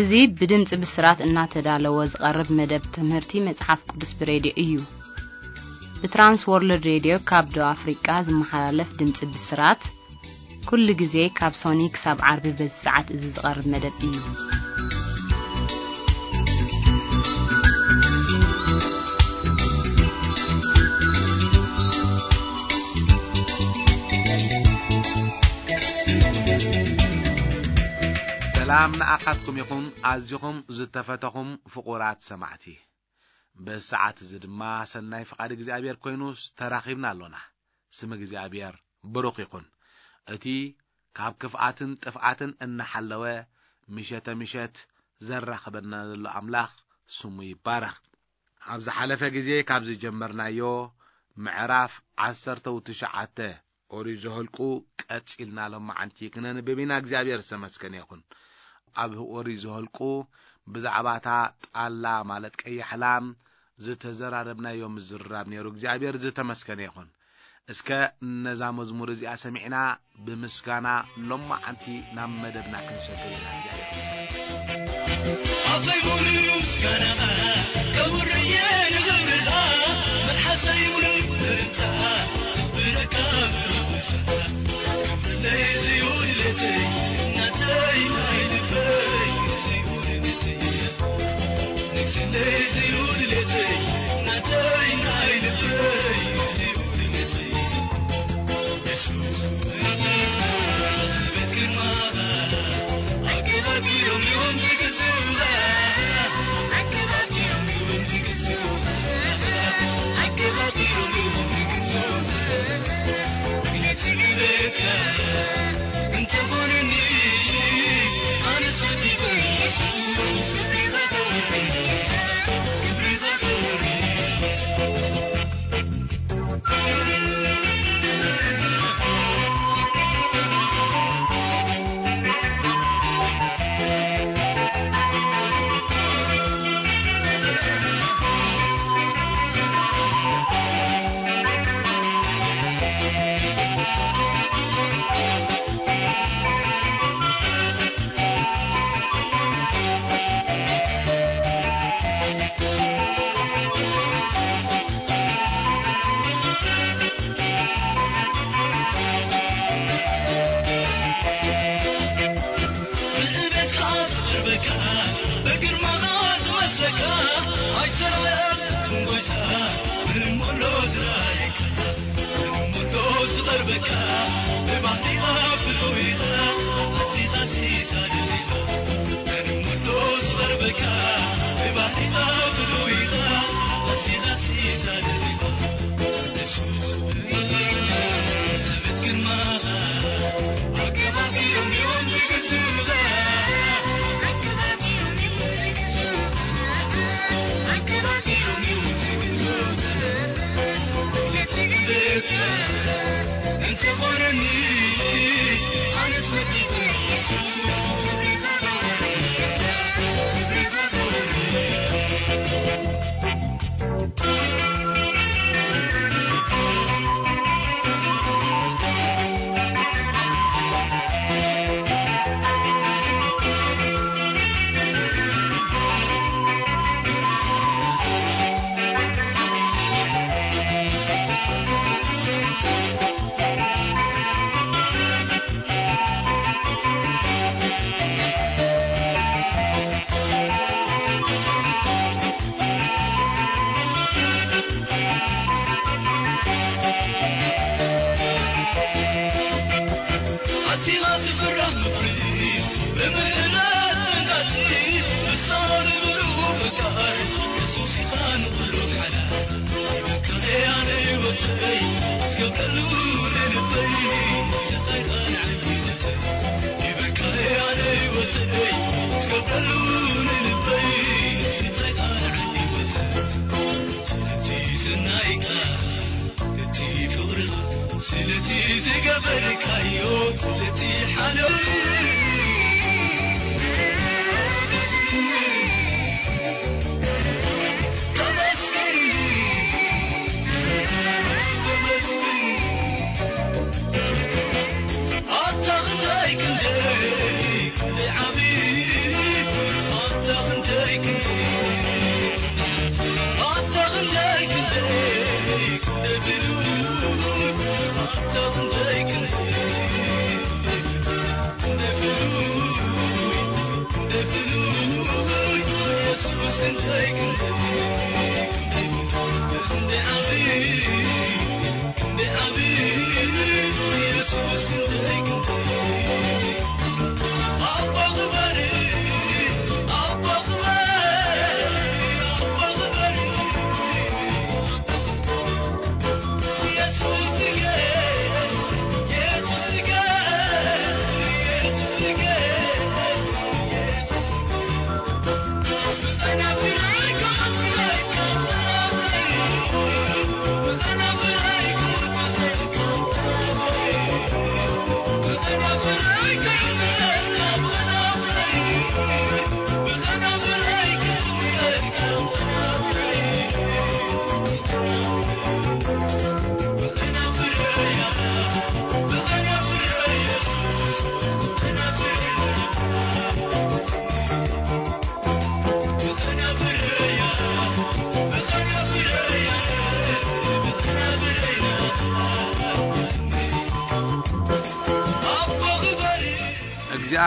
እዚ ብድምጺ ብስራት እናተዳለወ ዝቐርብ መደብ ትምህርቲ መጽሓፍ ቅዱስ ብሬድዮ እዩ። ብትራንስ ወርልድ ሬድዮ ካብ ደቡብ ኣፍሪቃ ዝመሓላለፍ ድምጺ ብስራት፣ ኩሉ ግዜ ካብ ሶኒ ክሳብ ዓርቢ በዚ ሰዓት እዚ ዝቐርብ መደብ እዩ። ሰላም ንኣኻትኩም ይኹን፣ ኣዚኹም ዝተፈተኹም ፍቑራት ሰማዕቲ። በዚ ሰዓት እዚ ድማ ሰናይ ፍቓድ እግዚኣብሔር ኮይኑስ ተራኺብና ኣሎና። ስም እግዚኣብሔር ብሩኽ ይኹን። እቲ ካብ ክፍኣትን ጥፍኣትን እናሓለወ ምሸተ ምሸት ዘራኽበና ዘሎ ኣምላኽ ስሙ ይባረኽ። ኣብ ዝሓለፈ ግዜ ካብ ዝጀመርናዮ ምዕራፍ ዓሰርተ ትሽዓተ ኦሪት ዘኍልቁ ቀጺልና ሎማዓንቲ ክነንብብ ኢና። እግዚኣብሔር ዝተመስገነ ይኹን። ኣብ ኦሪት ዘኍልቁ ብዛዕባ እታ ጣላ ማለት ቀያሕ ላም ዝተዘራረብናዮ ምዝርራብ ነይሩ። እግዚኣብሔር ዝተመስገነ ይኹን። እስከ ነዛ መዝሙር እዚኣ ሰሚዕና ብምስጋና ሎማዓንቲ ናብ መደብና ክንሰግር ኢና። እግዚኣብሔር ይመስገን። ኣፈይ ሙሉ ምስጋና ከውርየ ንኽብርኻ መልሓሰይ ሙሉ እልልታ ክብረካ ብሩብታ። ዝገብረለይ ዝዩ ድሌተይ ናተይ ናይ ልበይ ዝዩ ድሌተይ። ንግስነይ ዝዩ ድሌተይ ናተይ ናይ ልበይ ዝዩ ድሌተይ።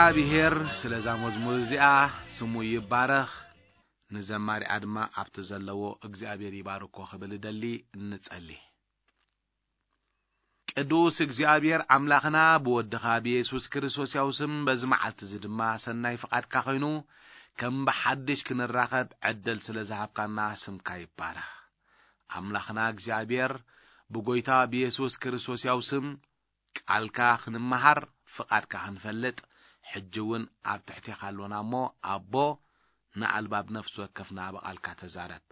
እግዚኣብሔር ስለዛ መዝሙር እዚኣ ስሙ ይባረኽ። ንዘማሪኣ ድማ ኣብቲ ዘለዎ እግዚኣብሔር ይባርኮ ክብል እደሊ። እንጸሊ። ቅዱስ እግዚኣብሔር ኣምላኽና ብወድኻ ብየሱስ ክርስቶስ ያው ስም በዚ መዓልቲ እዚ ድማ ሰናይ ፍቓድካ ኮይኑ ከም ብሓድሽ ክንራኸብ ዕድል ስለ ዝሃብካና ስምካ ይባረኽ። ኣምላኽና እግዚኣብሔር ብጎይታ ብየሱስ ክርስቶስ ያው ስም ቃልካ ክንመሃር ፍቓድካ ክንፈልጥ ሕጂ እውን ኣብ ትሕቴኻ ኣሎና እሞ ኣቦ ንኣልባብ ነፍሲ ወከፍና ብቓልካ ተዛረብ።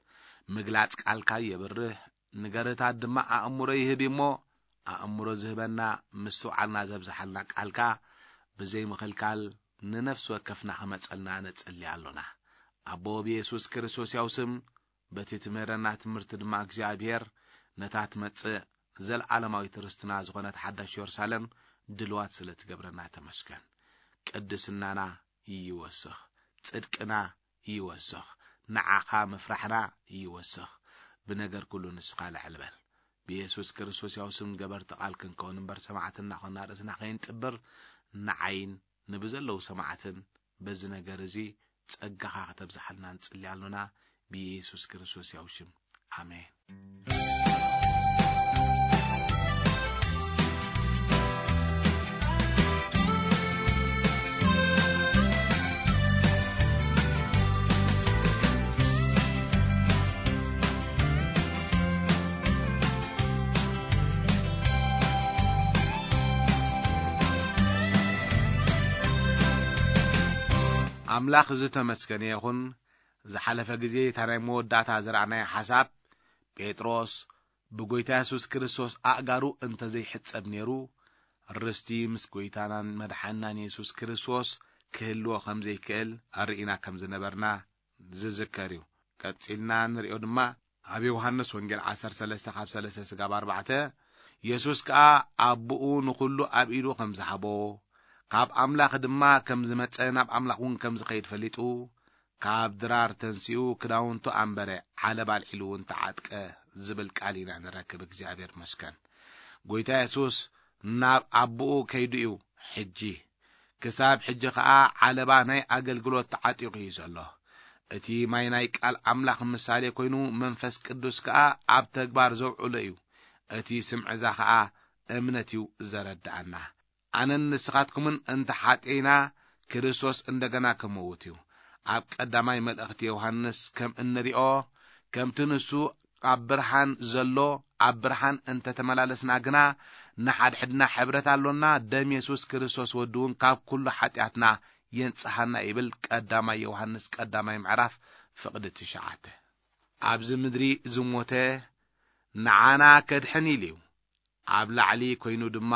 ምግላጽ ቃልካ የብርህ፣ ንገርታት ድማ ኣእምሮ ይህብ እሞ ኣእምሮ ዝህበና ምስትውዓልና ዘብዝሓልና ቃልካ ብዘይ ምኽልካል ንነፍሲ ወከፍና ክመጸልና ነጸሊ ኣሎና። ኣቦ ብየሱስ ክርስቶስ ያው ስም በቲ ትምህረና ትምህርቲ ድማ እግዚኣብሔር ነታ ትመጽእ ዘለዓለማዊት ርስትና ዝኾነት ሓዳሽ የሩሳሌም ድልዋት ስለ ትገብረና ተመስገን። ቅድስናና ይወስኽ፣ ጽድቅና ይወስኽ፣ ንዓኻ ምፍራሕና ይወስኽ። ብነገር ኩሉ ንስኻ ልዕል በል። ብየሱስ ክርስቶስ ያው ስም ገበርቲ ቃል ክንከውን እምበር ሰማዕትና ኾና ርእስና ከይንጥብር ንዓይን ንብዘለዉ ሰማዕትን በዚ ነገር እዚ ጸጋኻ ከተብዝሓልና ንጽሊ ኣሎና ብየሱስ ክርስቶስ ያው ሽም ኣሜን። ኣምላኽ ዝተመስገነ ይኹን። ዝሓለፈ ግዜ እታ ናይ መወዳእታ ዝረኣናዮ ሓሳብ ጴጥሮስ ብጎይታ የሱስ ክርስቶስ ኣእጋሩ እንተዘይሕጸብ ነይሩ ርስቲ ምስ ጎይታናን መድሓንናን የሱስ ክርስቶስ ክህልዎ ከም ዘይክእል ኣርእና ከም ዝነበርና ዝዝከር እዩ። ቀጺልና ንሪኦ ድማ ኣብ ዮሃንስ ወንጌል ዓሰርተ ሰለስተ ካብ ሰለስተ ስጋብ ኣርባዕተ የሱስ ከኣ ኣቦኡ ንኹሉ ኣብ ኢዱ ከም ዝሃቦ ካብ ኣምላኽ ድማ ከም ዝመጸ ናብ ኣምላኽ እውን ከም ዝኸይድ ፈሊጡ ካብ ድራር ተንሲኡ ክዳውንቱ ኣንበረ፣ ዓለባ ኣልዒሉ እውን ተዓጥቀ ዝብል ቃል ኢና ንረክብ። እግዚኣብሔር መስገን። ጎይታ የሱስ ናብ ኣቦኡ ከይዱ እዩ። ሕጂ ክሳብ ሕጂ ኸኣ ዓለባ ናይ ኣገልግሎት ተዓጢቑ እዩ ዘሎ። እቲ ማይ ናይ ቃል ኣምላኽ ምሳሌ ኮይኑ መንፈስ ቅዱስ ከኣ ኣብ ተግባር ዘውዕሎ እዩ። እቲ ስምዕዛ ኸኣ እምነት እዩ ዘረድኣና። ኣነን ንስኻትኩምን እንተ ሓጢእና ክርስቶስ እንደገና ክመውት እዩ። ኣብ ቀዳማይ መልእኽቲ ዮሃንስ ከም እንሪኦ ከምቲ ንሱ ኣብ ብርሃን ዘሎ ኣብ ብርሃን እንተተመላለስና ግና ንሓድሕድና ሕብረት ኣሎና፣ ደም የሱስ ክርስቶስ ወዲ እውን ካብ ኩሉ ሓጢኣትና የንጽሃና ይብል ቀዳማይ ዮሃንስ ቀዳማይ ምዕራፍ ፍቕዲ ትሽዓተ። ኣብዚ ምድሪ ዝሞተ ንዓና ከድሕን ኢሉ እዩ። ኣብ ላዕሊ ኮይኑ ድማ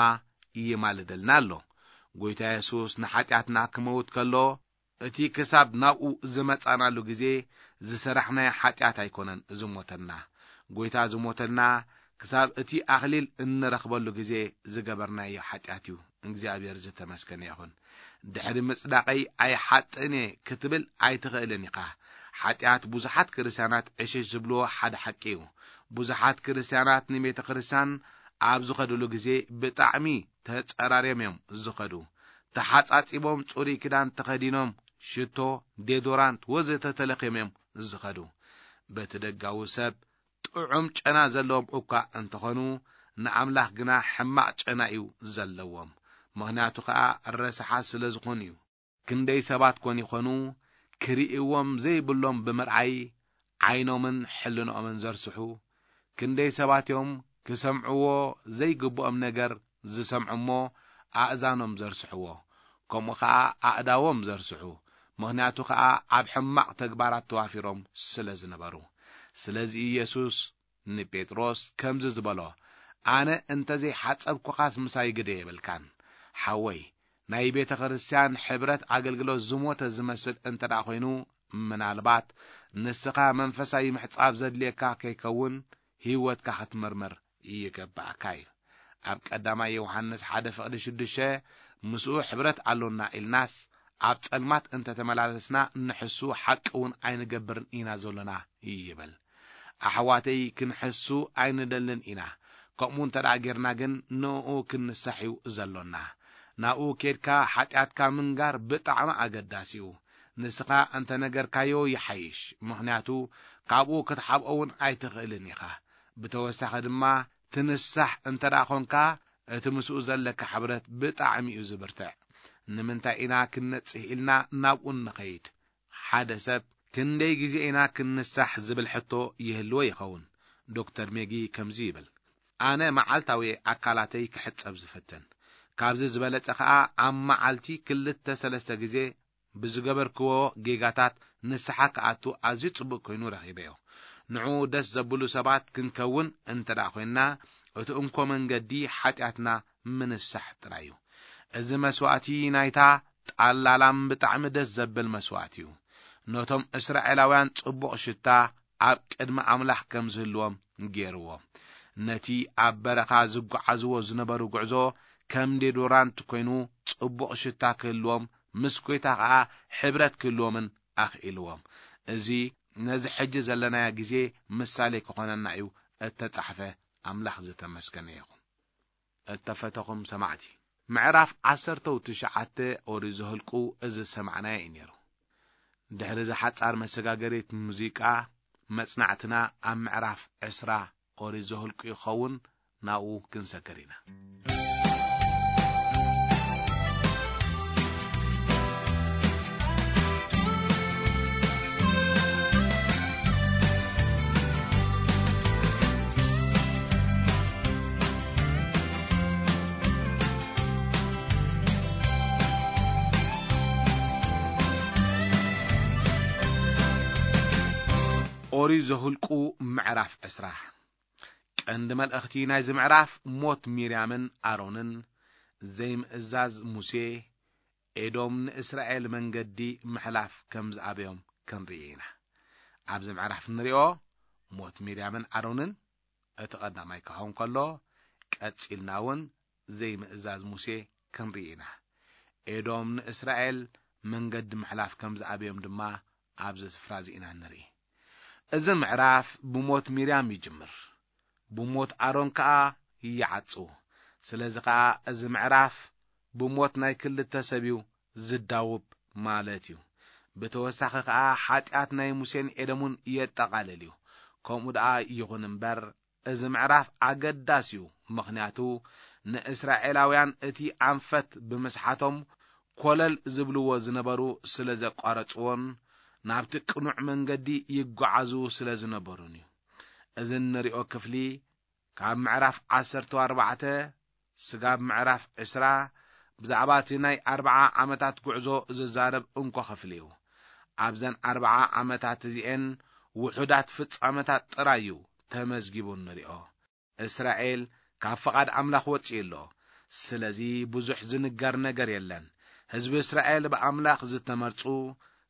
ይማልደልና ኣሎ። ጎይታ የሱስ ንሓጢኣትና ክመውት ከሎ እቲ ክሳብ ናብኡ ዝመጻናሉ ግዜ ዝሰራሕናዮ ሓጢኣት ኣይኮነን ዝሞተልና። ጎይታ ዝሞተልና ክሳብ እቲ ኣኽሊል እንረኽበሉ ግዜ ዝገበርናዮ ሓጢኣት እዩ። እግዚኣብሔር ዝተመስገነ ይኹን። ድሕሪ ምጽዳቐይ ኣይሓጥእን እየ ክትብል ኣይትኽእልን ኢኻ። ሓጢኣት ብዙሓት ክርስትያናት ዕሽሽ ዝብልዎ ሓደ ሓቂ እዩ። ብዙሓት ክርስትያናት ንቤተ ክርስትያን ኣብ ዝኸድሉ ግዜ ብጣዕሚ ተጸራርዮም እዮም ዝኸዱ። ተሓጻጺቦም ጽሩይ ክዳን ተኸዲኖም ሽቶ፣ ዴዶራንት ወዘተ ተለኽዮም እዮም ዝኸዱ። በቲ ደጋዊ ሰብ ጥዑም ጨና ዘለዎም እኳ እንተኾኑ ንኣምላኽ ግና ሕማቕ ጨና እዩ ዘለዎም። ምኽንያቱ ኸኣ ረሳሓት ስለ ዝኾኑ እዩ። ክንደይ ሰባት ኮን ይኾኑ፣ ክርእይዎም ዘይብሎም ብምርኣይ ዓይኖምን ሕልንኦምን ዘርስሑ? ክንደይ ሰባት እዮም ክሰምዕዎ ዘይግብኦም ነገር ዝሰምዑ እሞ ኣእዛኖም ዘርስሕዎ? ከምኡ ኸኣ ኣእዳዎም ዘርስሑ፣ ምኽንያቱ ኸኣ ኣብ ሕማቕ ተግባራት ተዋፊሮም ስለ ዝነበሩ። ስለዚ ኢየሱስ ንጴጥሮስ ከምዚ ዝበሎ፣ ኣነ እንተ ዘይሓጸብኩኻስ ምሳይ ግደ የብልካን። ሓወይ፣ ናይ ቤተ ክርስቲያን ሕብረት ኣገልግሎት ዝሞተ ዝመስል እንተ ደኣ ኮይኑ፣ ምናልባት ንስኻ መንፈሳዊ ምሕጻብ ዘድልየካ ከይከውን፣ ህይወትካ ክትምርምር ይገብኣካ እዩ። ኣብ ቀዳማይ ዮሃንስ ሓደ ፍቕዲ ሽዱሽተ፣ ምስኡ ሕብረት ኣሎና ኢልናስ፣ ኣብ ጸልማት እንተ ተመላለስና፣ ንሕሱ ሓቂ እውን ኣይንገብርን ኢና ዘሎና ይብል። ኣሕዋተይ፣ ክንሕሱ ኣይንደልን ኢና። ከምኡ እንተ ደኣ ጌርና ግን፣ ንእኡ ክንንሳሕ እዩ ዘሎና። ናብኡ ኬድካ ሓጢኣትካ ምንጋር ብጣዕሚ ኣገዳሲ እዩ። ንስኻ እንተ ነገርካዮ ይሓይሽ፣ ምኽንያቱ ካብኡ ክትሓብኦ እውን ኣይትኽእልን ኢኻ። ብተወሳኺ ድማ፣ ትንሳሕ እንተ ደኣ ኾንካ፣ እቲ ምስኡ ዘለካ ሕብረት ብጣዕሚ እዩ ዝብርትዕ። ንምንታይ ኢና ክንነጽህ ኢልና ናብኡ እንኸይድ? ሓደ ሰብ፣ ክንደይ ግዜ ኢና ክንንሳሕ ዝብል ሕቶ ይህልዎ ይኸውን። ዶክተር ሜጊ ከምዚ ይብል፣ ኣነ መዓልታዊ ኣካላተይ ክሕጸብ ዝፍትን። ካብዚ ዝበለጸ ኸኣ ኣብ መዓልቲ ክልተ ሰለስተ ግዜ ብዝገበርክዎ ጌጋታት ንስሓ ክኣቱ ኣዝዩ ጽቡቕ ኮይኑ ረኺበዮ። ንዕኡ ደስ ዘብሉ ሰባት ክንከውን እንተ ደኣ ኾይንና፣ እቲ እንኮ መንገዲ ሓጢኣትና ምንሳሕ ጥራይ እዩ። እዚ መስዋእቲ ናይታ ጣላላም ብጣዕሚ ደስ ዘብል መስዋእቲ እዩ። ነቶም እስራኤላውያን ጽቡቕ ሽታ ኣብ ቅድሚ ኣምላኽ ከም ዝህልዎም ገይርዎ። ነቲ ኣብ በረኻ ዝጓዓዝዎ ዝነበሩ ጉዕዞ ከም ዴዶራንት ኮይኑ ጽቡቕ ሽታ ክህልዎም፣ ምስ ጐይታ ኸኣ ሕብረት ክህልዎምን ኣኽኢልዎም። እዚ ነዚ ሕጂ ዘለናዮ ግዜ ምሳሌ ክኾነና እዩ እተጻሕፈ። ኣምላኽ ዝተመስገነ ይኹን። እተፈተኹም ሰማዕቲ፣ ምዕራፍ ዓሰርተው ትሽዓተ ኦሪት ዘኍልቁ እዚ ዝሰማዕናዮ እዩ ነይሩ። ድሕሪ እዛ ሓጻር መሰጋገሪት ሙዚቃ፣ መጽናዕትና ኣብ ምዕራፍ ዕስራ ኦሪት ዘኍልቁ ይኸውን። ናብኡ ክንሰግር ኢና። ኦሪት ዘኍልቁ ምዕራፍ ዕስራ። ቀንዲ መልእኽቲ ናይዚ ምዕራፍ ሞት ሚርያምን ኣሮንን፣ ዘይምእዛዝ ሙሴ፣ ኤዶም ንእስራኤል መንገዲ ምሕላፍ ከም ዝኣበዮም ክንርኢ ኢና። ኣብዚ ምዕራፍ እንሪኦ ሞት ሚርያምን ኣሮንን እቲ ቀዳማይ ክኸውን ከሎ፣ ቀጺልና እውን ዘይምእዛዝ ሙሴ ክንርኢ ኢና። ኤዶም ንእስራኤል መንገዲ ምሕላፍ ከም ዝኣበዮም ድማ ኣብዚ ስፍራ እዚ ኢና ንርኢ። እዚ ምዕራፍ ብሞት ሚርያም ይጅምር፣ ብሞት ኣሮን ከኣ ይዓጽው። ስለዚ ከኣ እዚ ምዕራፍ ብሞት ናይ ክልተ ሰብ እዩ ዝዳውብ ማለት እዩ። ብተወሳኺ ከኣ ሓጢኣት ናይ ሙሴን ኤዶምን የጠቓልል እዩ። ከምኡ ደኣ ይኹን እምበር፣ እዚ ምዕራፍ ኣገዳሲ እዩ፣ ምኽንያቱ ንእስራኤላውያን እቲ ኣንፈት ብምስሓቶም ኮለል ዝብልዎ ዝነበሩ ስለ ዘቋረጽዎን ናብቲ ቅኑዕ መንገዲ ይጓዓዙ ስለ ዝነበሩን እዩ። እዚ እንሪኦ ክፍሊ ካብ ምዕራፍ ዓሰርተ ኣርባዕተ ስጋብ ምዕራፍ ዕስራ ብዛዕባ እቲ ናይ ኣርብዓ ዓመታት ጉዕዞ ዝዛረብ እንኮ ክፍሊ እዩ። ኣብዘን ኣርብዓ ዓመታት እዚኤን ውሑዳት ፍጻመታት ጥራይ እዩ ተመዝጊቡ እንሪኦ። እስራኤል ካብ ፍቓድ ኣምላኽ ወጺኡ ኣሎ። ስለዚ ብዙሕ ዝንገር ነገር የለን። ህዝቢ እስራኤል ብኣምላኽ ዝተመርጹ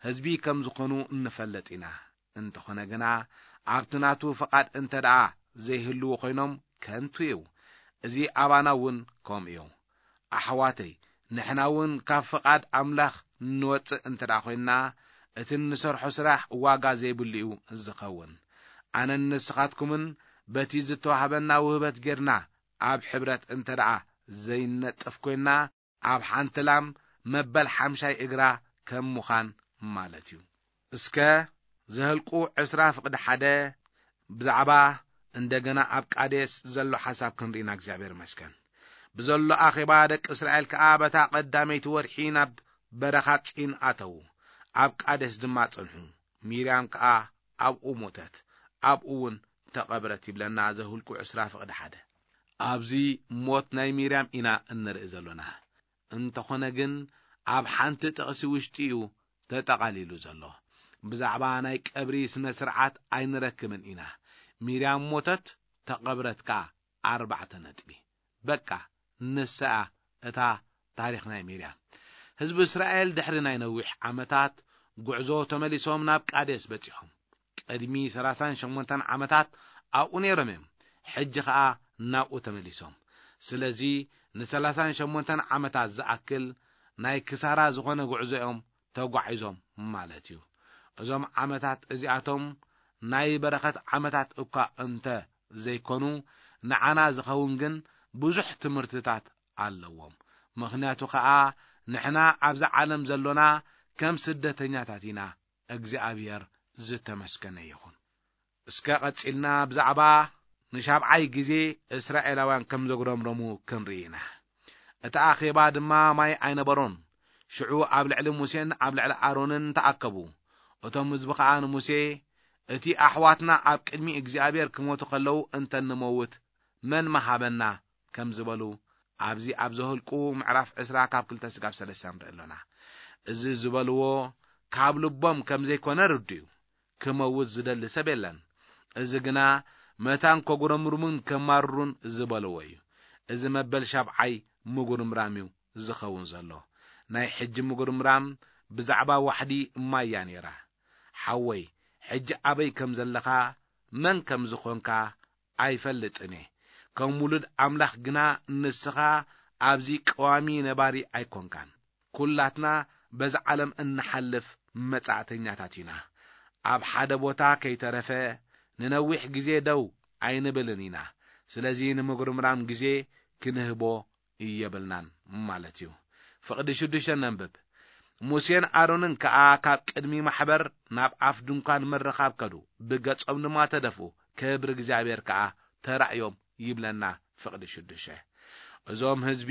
ህዝቢ ከም ዝኾኑ እንፈልጥ ኢና። እንተኾነ ግና ኣብቲ ናቱ ፍቓድ እንተ ደኣ ዘይህልዉ ኮይኖም ከንቱ እዩ። እዚ ኣባና እውን ከምኡ እዩ። ኣሕዋተይ፣ ንሕና እውን ካብ ፍቓድ ኣምላኽ እንወጽእ እንተ ደኣ ኮይንና፣ እቲ እንሰርሖ ስራሕ ዋጋ ዘይብሉ እዩ ዝኸውን። ኣነን ንስኻትኩምን በቲ ዝተዋህበና ውህበት ጌርና ኣብ ሕብረት እንተ ደኣ ዘይነጥፍ ኮይንና፣ ኣብ ሓንቲ ላም መበል ሓምሻይ እግራ ከም ምዃን ማለት እዩ። እስከ ዘኍልቁ ዕስራ ፍቕዲ ሓደ ብዛዕባ እንደገና ኣብ ቃዴስ ዘሎ ሓሳብ ክንርኢና እግዚኣብሔር ይመስገን። ብዘሎ ኣኼባ ደቂ እስራኤል ከኣ በታ ቀዳመይቲ ወርሒ ናብ በረኻ ጺን ኣተዉ። ኣብ ቃዴስ ድማ ጸንሑ። ሚርያም ከኣ ኣብኡ ሞተት፣ ኣብኡ እውን ተቐብረት ይብለና ዘሁልቁ ዕስራ ፍቕዲ ሓደ። ኣብዚ ሞት ናይ ሚርያም ኢና እንርኢ ዘሎና። እንተኾነ ግን ኣብ ሓንቲ ጥቕሲ ውሽጢ እዩ ተጠቓሊሉ ዘሎ። ብዛዕባ ናይ ቀብሪ ስነ ስርዓት ኣይንረክብን ኢና። ሚርያም ሞተት፣ ተቐብረት ከኣ ኣርባዕተ ነጥቢ። በቃ ንሰኣ እታ ታሪኽ ናይ ሚርያም። ህዝቢ እስራኤል ድሕሪ ናይ ነዊሕ ዓመታት ጉዕዞ ተመሊሶም ናብ ቃዴስ በጺሖም። ቅድሚ ሰላሳን ሸሞንተን ዓመታት ኣብኡ ነይሮም እዮም። ሕጂ ኸኣ ናብኡ ተመሊሶም። ስለዚ ንሰላሳን ሸሞንተን ዓመታት ዝኣክል ናይ ክሳራ ዝኾነ ጉዕዞ እዮም ተጓዒዞም ማለት እዩ። እዞም ዓመታት እዚኣቶም ናይ በረኸት ዓመታት እኳ እንተ ዘይኮኑ፣ ንዓና ዝኸውን ግን ብዙሕ ትምህርትታት ኣለዎም። ምኽንያቱ ኸኣ ንሕና ኣብዛ ዓለም ዘሎና ከም ስደተኛታት ኢና። እግዚኣብሔር ዝተመስገነ ይኹን። እስከ ቀጺልና ብዛዕባ ንሻብዓይ ግዜ እስራኤላውያን ከም ዘጉረምረሙ ክንርኢ ኢና። እቲ ኣኼባ ድማ ማይ ኣይነበሮን። ሽዑ ኣብ ልዕሊ ሙሴን ኣብ ልዕሊ ኣሮንን ተኣከቡ። እቶም ህዝቢ ኸኣ ንሙሴ፣ "እቲ ኣሕዋትና ኣብ ቅድሚ እግዚኣብሔር ክሞቱ ኸለዉ እንተ ንመውት መን መሃበና?" ከም ዝበሉ ኣብዚ ኣብ ዘኍልቁ ምዕራፍ ዕስራ ካብ ክልተ ስጋብ ሰለስተ ንርኢ ኣሎና። እዚ ዝበልዎ ካብ ልቦም ከም ዘይኮነ ርዱእ እዩ። ክመውት ዝደሊ ሰብ የለን። እዚ ግና መታን ከጉረምርሙን ከማርሩን ዝበልዎ እዩ። እዚ መበል ሻብዓይ ምጉርምራም እዩ ዝኸውን ዘሎ። ናይ ሕጂ ምጉርምራም ብዛዕባ ዋሕዲ ማይ እያ ነይራ። ሓወይ፣ ሕጂ ኣበይ ከም ዘለኻ፣ መን ከም ዝኾንካ ኣይፈልጥን እየ። ከም ውሉድ ኣምላኽ ግና ንስኻ ኣብዚ ቀዋሚ ነባሪ ኣይኮንካን። ኩላትና በዛ ዓለም እንሓልፍ መጻእተኛታት ኢና። ኣብ ሓደ ቦታ ከይተረፈ ንነዊሕ ግዜ ደው ኣይንብልን ኢና። ስለዚ ንምጉርምራም ግዜ ክንህቦ የብልናን ማለት እዩ። ፍቕዲ ሽዱሽተ ነንብብ። ሙሴን ኣሮንን ከኣ ካብ ቅድሚ ማሕበር ናብ ኣፍ ድንኳን ምርኻብ ከዱ፣ ብገጾም ድማ ተደፍኡ፣ ክብሪ እግዚኣብሔር ከኣ ተራእዮም ይብለና ፍቕዲ ሽዱሽተ። እዞም ህዝቢ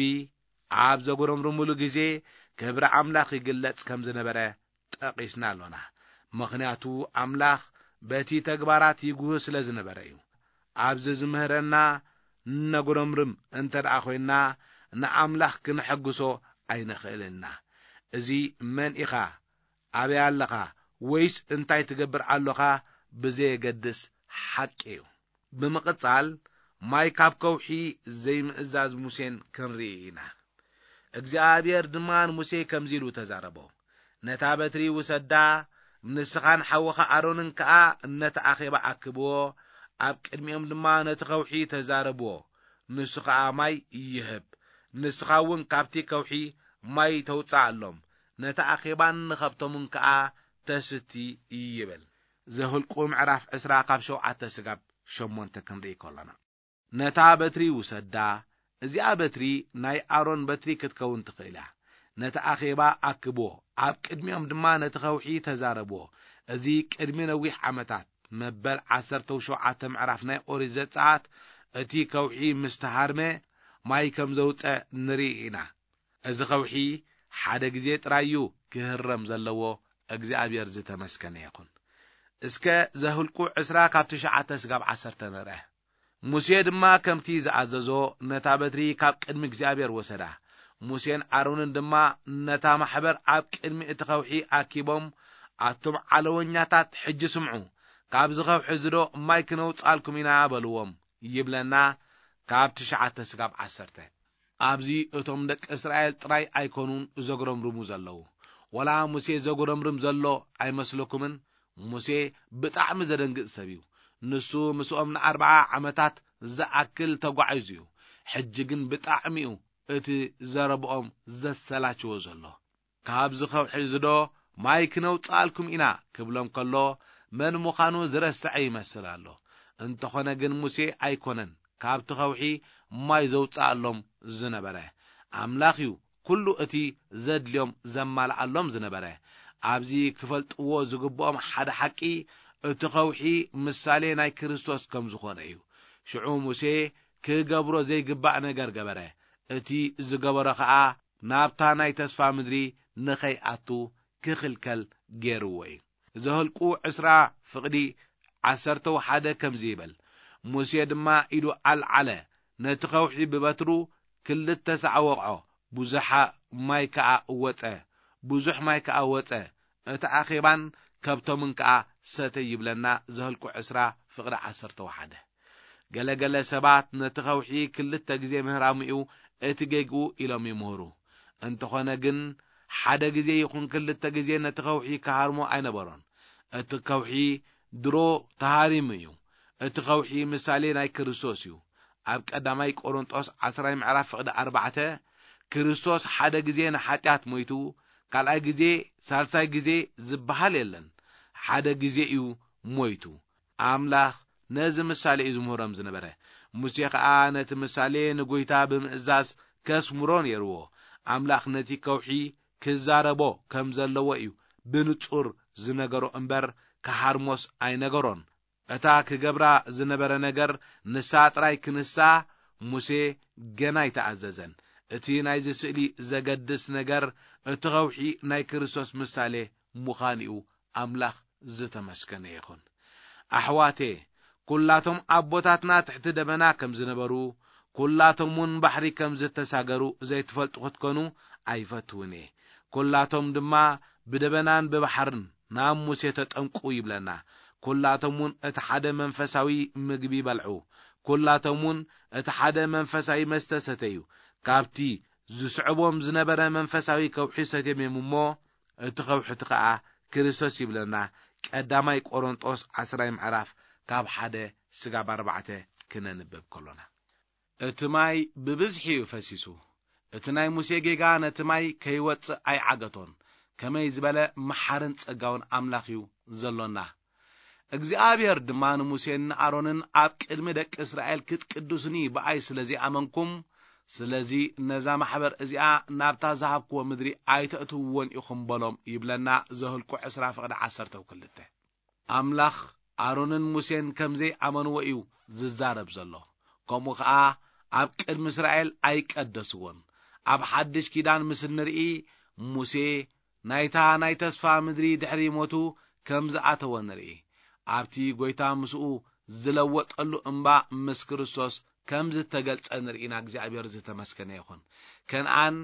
ኣብ ዘጉረምርሙሉ ግዜ ክብሪ ኣምላኽ ይግለጽ ከም ዝነበረ ጠቒስና ኣሎና። ምኽንያቱ ኣምላኽ በቲ ተግባራት ይጉህ ስለ ዝነበረ እዩ። ኣብዚ ዝምህረና ነጉረምርም እንተ ደኣ ኾይንና ንኣምላኽ ክነሐግሶ ኣይንኽእልን ኢና። እዚ መን ኢኻ፣ ኣበይ ኣለኻ፣ ወይስ እንታይ ትገብር ኣሎኻ ብዘየገድስ ሓቂ እዩ። ብምቕጻል ማይ ካብ ከውሒ ዘይምእዛዝ ሙሴን ክንርኢ ኢና። እግዚኣብሔር ድማ ንሙሴ ከምዚ ኢሉ ተዛረቦ፣ "ነታ በትሪ ውሰዳ፣ ንስኻን ሓውኻ ኣሮንን ከኣ ነቲ ኣኼባ ኣክብዎ፣ ኣብ ቅድሚኦም ድማ ነቲ ከውሒ ተዛረብዎ፣ ንሱ ኸኣ ማይ ይህብ። ንስኻ እውን ካብቲ ከውሒ ማይ ተውጽኣሎም፣ ነቲ ኣኼባን ንኸብቶምን ከኣ ተስቲ" ይብል። ዘኍልቁ ምዕራፍ ዕስራ ካብ ሸውዓተ ስጋብ ሸሞንተ ክንርኢ ከሎና። ነታ በትሪ ውሰዳ፣ እዚኣ በትሪ ናይ ኣሮን በትሪ ክትከውን ትኽእል እያ። ነቲ ኣኼባ ኣክብዎ፣ ኣብ ቅድሚኦም ድማ ነቲ ከውሒ ተዛረብዎ። እዚ ቅድሚ ነዊሕ ዓመታት፣ መበል ዓሰርተ ሸውዓተ ምዕራፍ ናይ ኦሪት ዘጸኣት፣ እቲ ከውሒ ምስ ተሃርመ ማይ ከም ዘውጸ ንርኢ ኢና። እዚ ከውሒ ሓደ ግዜ ጥራይ እዩ ክህረም ዘለዎ። እግዚኣብሔር ዝተመስገነ ይኹን። እስከ ዘኍልቁ ዕስራ ካብ ትሽዓተ ስጋብ ዓሰርተ ንርአ። ሙሴ ድማ ከምቲ ዝኣዘዞ ነታ በትሪ ካብ ቅድሚ እግዚኣብሔር ወሰዳ። ሙሴን ኣሮንን ድማ ነታ ማሕበር ኣብ ቅድሚ እቲ ከውሒ ኣኪቦም፣ "ኣቱም ዓለወኛታት፣ ሕጂ ስምዑ፣ ካብዚ ከውሒ እዚ ዶ ማይ ክነውጽኣልኩም ኢና?" በልዎም ይብለና፣ ካብ ትሽዓተ ስጋብ ዓሰርተ። ኣብዚ እቶም ደቂ እስራኤል ጥራይ ኣይኮኑን ዘጉረምርሙ ዘለዉ። ወላ ሙሴ ዘጉረምርም ዘሎ ኣይመስለኩምን? ሙሴ ብጣዕሚ ዘደንግጽ ሰብ እዩ። ንሱ ምስኦም ንኣርብዓ ዓመታት ዝኣክል ተጓዒዙ እዩ። ሕጂ ግን ብጣዕሚ እዩ እቲ ዘረብኦም ዘሰላችዎ ዘሎ። "ካብዚ ከውሒ እዚ ዶ ማይ ክነውጽኣልኩም ኢና?" ክብሎም ከሎ፣ መን ምዃኑ ዝረስዐ ይመስል ኣሎ። እንተኾነ ግን ሙሴ ኣይኮነን ካብቲ ከውሒ ማይ ዘውጽኣሎም ዝነበረ። ኣምላኽ እዩ ኩሉ እቲ ዘድልዮም ዘማልኣሎም ዝነበረ። ኣብዚ ክፈልጥዎ ዝግብኦም ሓደ ሓቂ፣ እቲ ከውሒ ምሳሌ ናይ ክርስቶስ ከም ዝኾነ እዩ። ሽዑ ሙሴ ክገብሮ ዘይግባእ ነገር ገበረ። እቲ ዝገበሮ ኸኣ ናብታ ናይ ተስፋ ምድሪ ንኸይኣቱ ክኽልከል ገይርዎ እዩ። ዘኍልቁ ዕስራ ፍቕዲ ዓሰርተው ሓደ ከምዚ ይብል፣ ሙሴ ድማ ኢዱ ኣልዓለ፣ ነቲ ኸውሒ ብበትሩ ክልተ ሳዕ ወቕዖ፣ ብዙሓ ማይ ከኣ ወጸ፣ ብዙሕ ማይ ከኣ ወጸ፣ እቲ ኣኼባን ከብቶምን ከኣ ሰተዩ ይብለና። ዘኍልቁ ዕስራ ፍቕዲ ዓሰርተው ሓደ። ገለ ገለ ሰባት ነቲ ኸውሒ ክልተ ግዜ ምህራሙ እዩ እቲ ጌግኡ ኢሎም ይምህሩ። እንተኾነ ግን ሓደ ግዜ ይኹን ክልተ ግዜ ነቲ ኸውሒ ክሃርሞ ኣይነበሮን። እቲ ከውሒ ድሮ ተሃሪሙ እዩ። እቲ ከውሒ ምሳሌ ናይ ክርስቶስ እዩ። ኣብ ቀዳማይ ቆሮንጦስ ዓስራይ ምዕራፍ ፍቕዲ ኣርባዕተ፣ ክርስቶስ ሓደ ግዜ ንሓጢኣት ሞይቱ፣ ካልኣይ ግዜ፣ ሳልሳይ ግዜ ዝበሃል የለን። ሓደ ግዜ እዩ ሞይቱ። ኣምላኽ ነዚ ምሳሌ እዩ ዝምህሮም ዝነበረ። ሙሴ ኸኣ ነቲ ምሳሌ ንጎይታ ብምእዛዝ ከስምሮ ነይርዎ። ኣምላኽ ነቲ ከውሒ ክዛረቦ ከም ዘለዎ እዩ ብንጹር ዝነገሮ እምበር፣ ክሃርሞስ ኣይነገሮን። እታ ክገብራ ዝነበረ ነገር ንሳ ጥራይ ክንሳ ሙሴ ገና ኣይተኣዘዘን። እቲ ናይዚ ስእሊ ዘገድስ ነገር እቲ ኸውሒ ናይ ክርስቶስ ምሳሌ ምዃኑ እዩ። ኣምላኽ ዝተመስገነ ይኹን። ኣሕዋቴ፣ ኩላቶም ኣቦታትና ትሕቲ ደበና ከም ዝነበሩ፣ ኩላቶም እውን ባሕሪ ከም ዝተሳገሩ ዘይትፈልጡ ክትኮኑ ኣይፈትውን እየ። ኩላቶም ድማ ብደበናን ብባሕርን ናብ ሙሴ ተጠምቁ ይብለና። ኩላቶም እውን እቲ ሓደ መንፈሳዊ ምግቢ በልዑ። ኩላቶም እውን እቲ ሓደ መንፈሳዊ መስተ ሰተዩ። ካብቲ ዝስዕቦም ዝነበረ መንፈሳዊ ከውሒ ሰትዮም እዮም እሞ፣ እቲ ከውሒ እቲ ኸኣ ክርስቶስ ይብለና። ቀዳማይ ቆሮንጦስ ዓስራይ ምዕራፍ ካብ ሓደ ስጋብ ኣርባዕተ ክነንብብ ከሎና፣ እቲ ማይ ብብዝሒ እዩ ፈሲሱ። እቲ ናይ ሙሴ ጌጋ ነቲ ማይ ከይወጽእ ኣይዓገቶን። ከመይ ዝበለ መሓርን ጸጋውን ኣምላኽ እዩ ዘሎና። እግዚኣብሔር ድማ ንሙሴን ንኣሮንን ኣብ ቅድሚ ደቂ እስራኤል ክትቅድሱኒ ብኣይ ስለ ዘይኣመንኩም፣ ስለዚ ነዛ ማሕበር እዚኣ ናብታ ዝሃብክዎ ምድሪ ኣይተእትውዎን ኢኹም በሎም ይብለና። ዘኍልቁ ዕስራ ፍቕዲ ዓሰርተው ክልተ። ኣምላኽ ኣሮንን ሙሴን ከም ዘይኣመንዎ እዩ ዝዛረብ ዘሎ። ከምኡ ኸኣ ኣብ ቅድሚ እስራኤል ኣይቀደስዎን። ኣብ ሓድሽ ኪዳን ምስ እንርኢ፣ ሙሴ ናይታ ናይ ተስፋ ምድሪ ድሕሪ ሞቱ ከም ዝኣተወ ንርኢ። ኣብቲ ጐይታ ምስኡ ዝለወጠሉ እምባ ምስ ክርስቶስ ከም ዝተገልጸ ንርኢና። እግዚኣብሔር ዝተመስገነ ይኹን። ከነኣን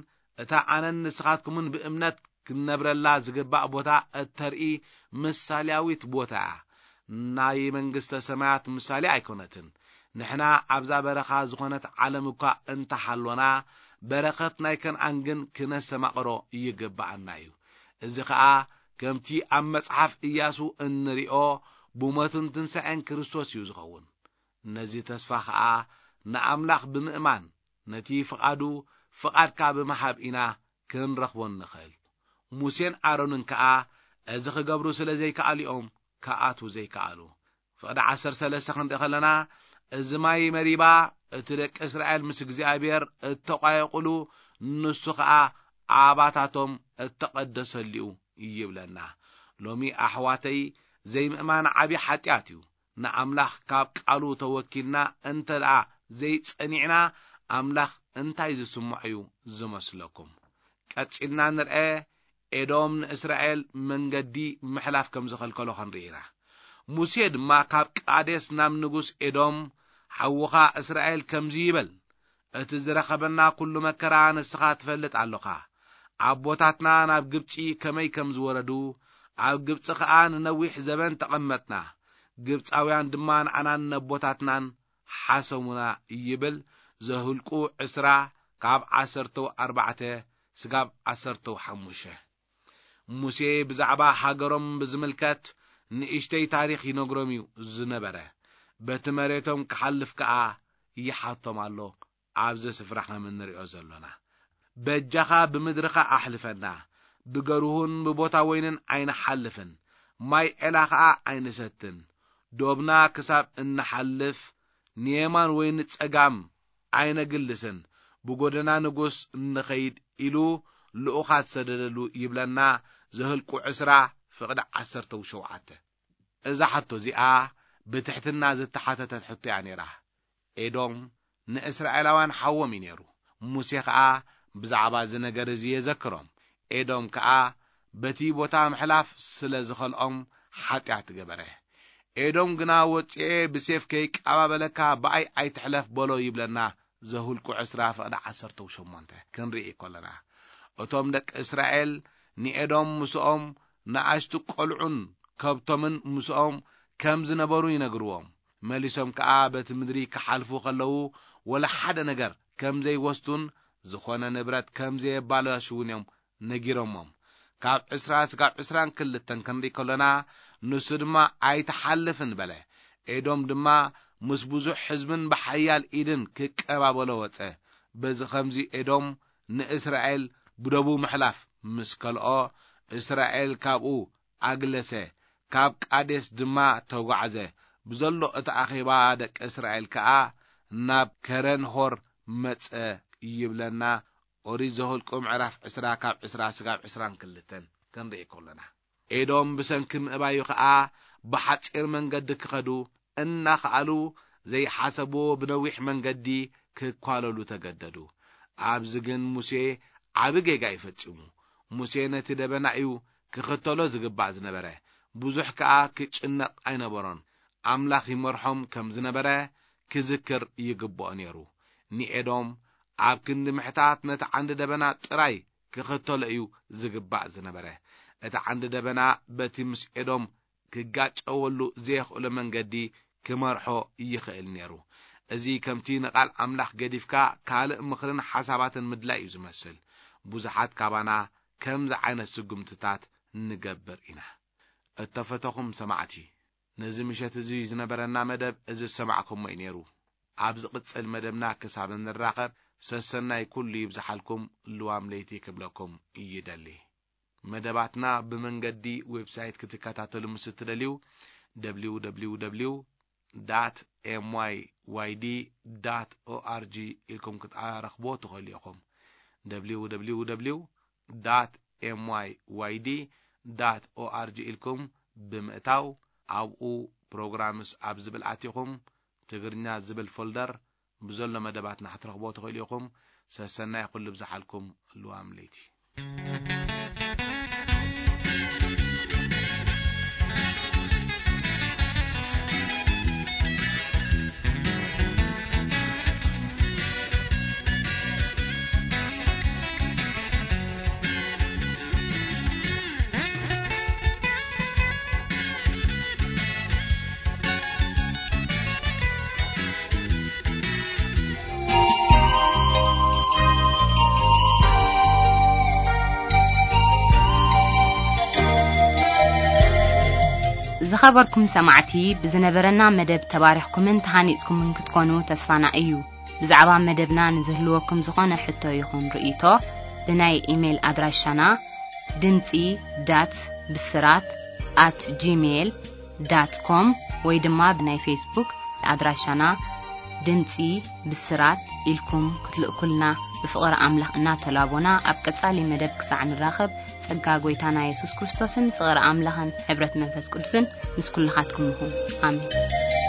እታ ኣነን ንስኻትኩምን ብእምነት ክንነብረላ ዝግባእ ቦታ እተርኢ ምሳሌያዊት ቦታ እያ። ናይ መንግስተ ሰማያት ምሳሌ ኣይኮነትን። ንሕና ኣብዛ በረኻ ዝኾነት ዓለም እኳ እንተሃሎና፣ በረኸት ናይ ከነኣን ግን ክነስተማቕሮ ይግብኣና እዩ። እዚ ኸኣ ከምቲ ኣብ መጽሓፍ ኢያሱ እንሪኦ፣ ብሞትን ትንሳኤን ክርስቶስ እዩ ዝኸውን። ነዚ ተስፋ ኸኣ ንኣምላኽ ብምእማን፣ ነቲ ፍቓዱ ፍቓድካ ብምሃብ ኢና ክንረኽቦ እንኽእል። ሙሴን ኣሮንን ከኣ እዚ ክገብሩ ስለ ዘይከኣሉ እዮም ክኣትዉ ዘይከኣሉ። ፍቕዲ ዓሰርተ ሰለስተ ክንርኢ ከለና፣ እዚ ማይ መሪባ እቲ ደቂ እስራኤል ምስ እግዚኣብሔር እተቋየቑሉ፣ ንሱ ኸኣ ኣባታቶም እተቐደሰሉ እዩ ይብለና። ሎሚ ኣሕዋተይ፣ ዘይምእማን ዓቢ ሓጢኣት እዩ። ንኣምላኽ ካብ ቃሉ ተወኪልና እንተ ደኣ ዘይጸኒዕና፣ ኣምላኽ እንታይ ዝስምዖ እዩ ዝመስለኩም? ቀጺልና ንርአ፣ ኤዶም ንእስራኤል መንገዲ ምሕላፍ ከም ዝኸልከሎ ክንርኢ ኢና። ሙሴ ድማ ካብ ቃዴስ ናብ ንጉስ ኤዶም፣ "ሓውኻ እስራኤል ከምዚ ይበል፣ እቲ ዝረኸበና ኩሉ መከራ ንስኻ ትፈልጥ ኣሎኻ። ኣቦታትና ናብ ግብጺ ከመይ ከም ዝወረዱ፣ ኣብ ግብጺ ኸኣ ንነዊሕ ዘበን ተቐመጥና። ግብጻውያን ድማ ንዓናን ነቦታትናን ሓሰሙና" ይብል። ዘሁልቁ ዕስራ ካብ ዓሰርተው ኣርባዕተ ስጋብ ዓሰርተው ሓሙሽተ። ሙሴ ብዛዕባ ሃገሮም ብዝምልከት ንእሽተይ ታሪኽ ይነግሮም እዩ ዝነበረ። በቲ መሬቶም ክሓልፍ ከኣ ይሓቶም ኣሎ። ኣብዚ ስፍራ ከም እንሪኦ ዘሎና፣ "በጃኻ ብምድርኻ ኣሕልፈና፣ ብገርሁን ብቦታ ወይንን ኣይንሓልፍን፣ ማይ ዔላ ኸኣ ኣይንሰትን፣ ዶብና ክሳብ እንሓልፍ ንየማን ወይ ንጸጋም ኣይነግልስን፣ ብጎደና ንጉስ ንኸይድ" ኢሉ ልኡኻት ሰደደሉ ይብለና። ዘህልቁ ዕስራ ፍቕዲ ዓሰርተው ሸውዓተ። እዛ ሕቶ እዚኣ ብትሕትና ዝተሓተተት ሕቶ እያ ነይራ። ኤዶም ንእስራኤላውያን ሓዎም እዩ ነይሩ። ሙሴ ከኣ ብዛዕባ እዚ ነገር እዚ የዘክሮም። ኤዶም ከኣ በቲ ቦታ ምሕላፍ ስለ ዝኸልኦም ሓጢኣት ገበረ። ኤዶም ግና፣ "ወጺኤ ብሴፍ ከይቀባበለካ ብኣይ ኣይትሕለፍ" በሎ ይብለና። ዘሁልቁ ዕስራ ፍቕዲ ዓሰርተ ሸሞንተ ክንርኢ ከለና፣ እቶም ደቂ እስራኤል ንኤዶም ምስኦም ንኣሽቱ ቆልዑን ከብቶምን ምስኦም ከም ዝነበሩ ይነግርዎም። መሊሶም ከኣ በቲ ምድሪ ክሓልፉ ከለዉ ወላ ሓደ ነገር ከም ዘይወስዱን ዝኾነ ንብረት ከም ዘየባላሽዉን እዮም ነጊሮሞም። ካብ ዕስራ ስጋብ ዕስራን ክልተን ክንርኢ ከሎና፣ ንሱ ድማ ኣይትሓልፍን በለ። ኤዶም ድማ ምስ ብዙሕ ህዝብን ብሓያል ኢድን ክቀባበሎ ወጸ። በዚ ኸምዚ ኤዶም ንእስራኤል ብደቡ ምሕላፍ ምስ ከልኦ፣ እስራኤል ካብኡ ኣግለሰ፣ ካብ ቃዴስ ድማ ተጓዕዘ። ብዘሎ እቲ ኣኼባ ደቂ እስራኤል ከኣ ናብ ከረን ሆር መጸ ይብለና። ኦሪት ዘኍልቁ ምዕራፍ ዕስራ ካብ ዕስራ ስጋብ ዕስራን ክልተን ክንርኢ ከሎና፣ ኤዶም ብሰንኪ ምእባዩ ኸኣ ብሓጺር መንገዲ ክኸዱ እናኸኣሉ፣ ዘይሓሰብዎ ብነዊሕ መንገዲ ክኳለሉ ተገደዱ። ኣብዚ ግን ሙሴ ዓቢ ጌጋ እዩ ፈጺሙ። ሙሴ ነቲ ደበና እዩ ክኽተሎ ዝግባእ ዝነበረ። ብዙሕ ከኣ ክጭነቕ ኣይነበሮን። ኣምላኽ ይመርሖም ከም ዝነበረ ክዝክር ይግብኦ ነይሩ። ንኤዶም ኣብ ክንዲ ምሕታት ነቲ ዓንዲ ደበና ጥራይ ክኽተሎ እዩ ዝግባእ ዝነበረ። እቲ ዓንዲ ደበና በቲ ምስ ኤዶም ክጋጨወሉ ዘየኽእሎ መንገዲ ክመርሖ ይኽእል ነይሩ። እዚ ከምቲ ንቓል ኣምላኽ ገዲፍካ ካልእ ምኽርን ሓሳባትን ምድላይ እዩ ዝመስል። ብዙሓት ካባና ከምዚ ዓይነት ስጉምትታት ንገብር ኢና። እተፈተኹም ሰማዕቲ፣ ነዚ ምሸት እዚ ዝነበረና መደብ እዚ ዝሰማዕኩሞ እዩ ነይሩ። ኣብ ዝቕጽል መደብና ክሳብ እንራኸብ፣ ሰሰናይ ኩሉ ይብዝሓልኩም፣ ልዋም ለይቲ ክብለኩም ይደሊ። መደባትና ብመንገዲ ዌብሳይት ክትከታተሉ ምስ እትደልዩ፣ www dot myyd dot org ኢልኩም ክትረኽብዎ ትኽእሉ ኢኹም። www dot myyd dot org ኢልኩም ብምእታው፣ ኣብኡ ፕሮግራምስ ኣብ ዝብል ኣቲኹም፣ ትግርኛ ዝብል ፎልደር ብዘሎ መደባትና ክትረኽብዎ ትኽእሉ ኢኹም። ሰሰናይ ኩሉ ብዝሓልኩም፣ ልዋም ለይቲ። ዝኸበርኩም ሰማዕቲ፣ ብዝነበረና መደብ ተባሪኽኩምን ተሃኒጽኩምን ክትኮኑ ተስፋና እዩ። ብዛዕባ መደብና ንዝህልወኩም ዝኾነ ሕቶ ይኹን ርእይቶ፣ ብናይ ኢሜይል ኣድራሻና ድምጺ ዳት ብስራት ኣት ጂሜይል ዳት ኮም ወይ ድማ ብናይ ፌስቡክ ኣድራሻና ድምጺ ብስራት ኢልኩም ክትልእኩልና ብፍቕሪ ኣምላኽ እናተላቦና፣ ኣብ ቀጻሊ መደብ ክሳዕ ንራኸብ፣ ጸጋ ጐይታና የሱስ ክርስቶስን ፍቕሪ ኣምላኽን ሕብረት መንፈስ ቅዱስን ምስ ኩልኻትኩም ይኹን። ኣሜን።